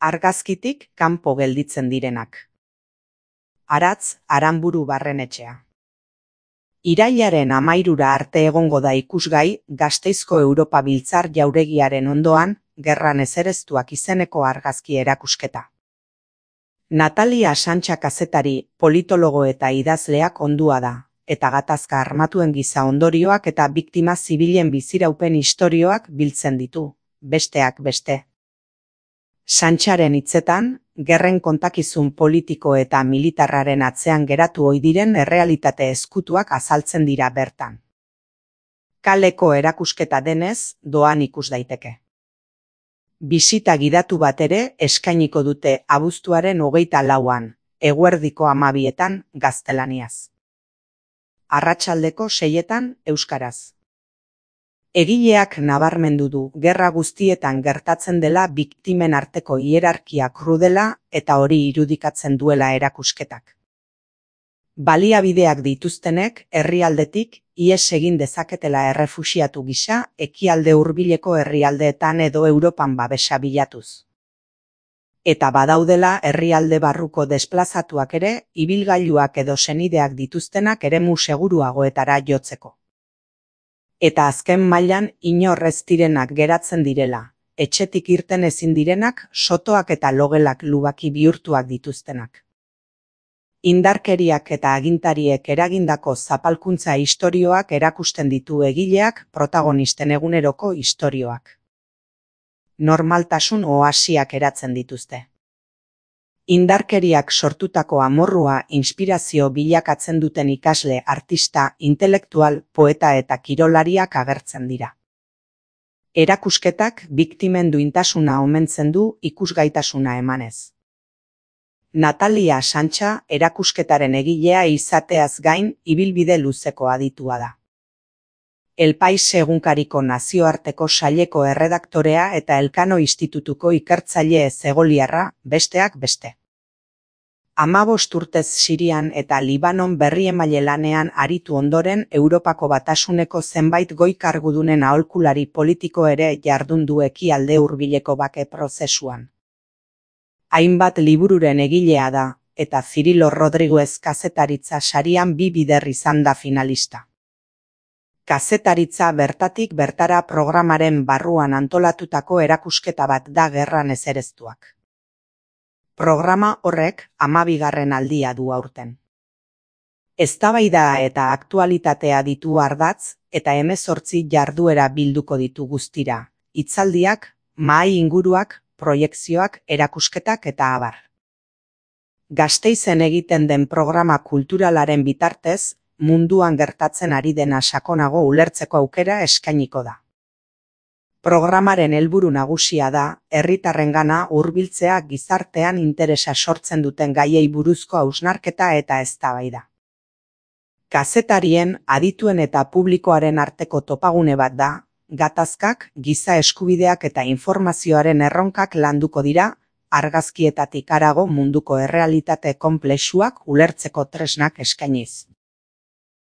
argazkitik kanpo gelditzen direnak. Aratz Aranburu Barrenetxea. Irailaren 13 arte egongo da ikusgai Gasteizko Europa Biltzar jauregiaren ondoan Gerran ezereztuak izeneko argazki erakusketa. Natalia Santxa kazetari, politologo eta idazleak ondua da, eta gatazka armatuen giza ondorioak eta biktima zibilen biziraupen istorioak biltzen ditu, besteak beste. Santxaren hitzetan, gerren kontakizun politiko eta militarraren atzean geratu ohi diren errealitate ezkutuak azaltzen dira bertan. Kaleko erakusketa denez, doan ikus daiteke. Bisita gidatu bat ere eskainiko dute abuztuaren 24an, eguerdiko 12etan gaztelaniaz. Arratsaldeko 6etan euskaraz. Egileak nabarmendu du gerra guztietan gertatzen dela biktimen arteko hierarkia krudela eta hori irudikatzen duela erakusketak. Baliabideak dituztenek herrialdetik ihes egin dezaketela errefuxiatu gisa ekialde hurbileko herrialdeetan edo Europan babesa bilatuz. Eta badaudela herrialde barruko desplazatuak ere ibilgailuak edo senideak dituztenak eremu seguruagoetara jotzeko. Eta azken mailan inor ez direnak geratzen direla, etxetik irten ezin direnak sotoak eta logelak lubaki bihurtuak dituztenak. Indarkeriak eta agintariek eragindako zapalkuntza istorioak erakusten ditu egileak protagonisten eguneroko istorioak. Normaltasun oasiak eratzen dituzte. Indarkeriak sortutako amorrua inspirazio bilakatzen duten ikasle, artista, intelektual, poeta eta kirolariak agertzen dira. Erakusketak biktimen duintasuna omentzen du ikusgaitasuna emanez. Natalia Santxa erakusketaren egilea izateaz gain ibilbide luzeko aditua da. El Pais egunkariko nazioarteko saileko erredaktorea eta Elkano Institutuko ikertzaile zegoliarra, besteak beste. 15 urtez Sirian eta Libanon berriemaile lanean aritu ondoren Europako Batasuneko zenbait goi kargudunen aholkulari politiko ere jardun du ekialde hurbileko bake prozesuan. Hainbat libururen egilea da, eta Cirilo Rodriguez kazetaritza sarian 2 bider izan da finalista. Kazetaritza bertatik bertara programaren barruan antolatutako erakusketa bat da Gerran ezereztuak. Programa horrek 12. aldia du aurten. Eztabaida eta aktualitatea ditu ardatz eta 18 jarduera bilduko ditu guztira, hitzaldiak, mahai inguruak, proiekzioak, erakusketak eta abar. Gasteizen egiten den programa kulturalaren bitartez, munduan gertatzen ari dena sakonago ulertzeko aukera eskainiko da. Programaren helburu nagusia da, herritarrengana hurbiltzea gizartean interesa sortzen duten gaiei buruzko hausnarketa eta eztabaida. Kazetarien, adituen eta publikoaren arteko topagune bat da, gatazkak, giza eskubideak eta informazioaren erronkak landuko dira, argazkietatik harago munduko errealitate konplexuak ulertzeko tresnak eskainiz.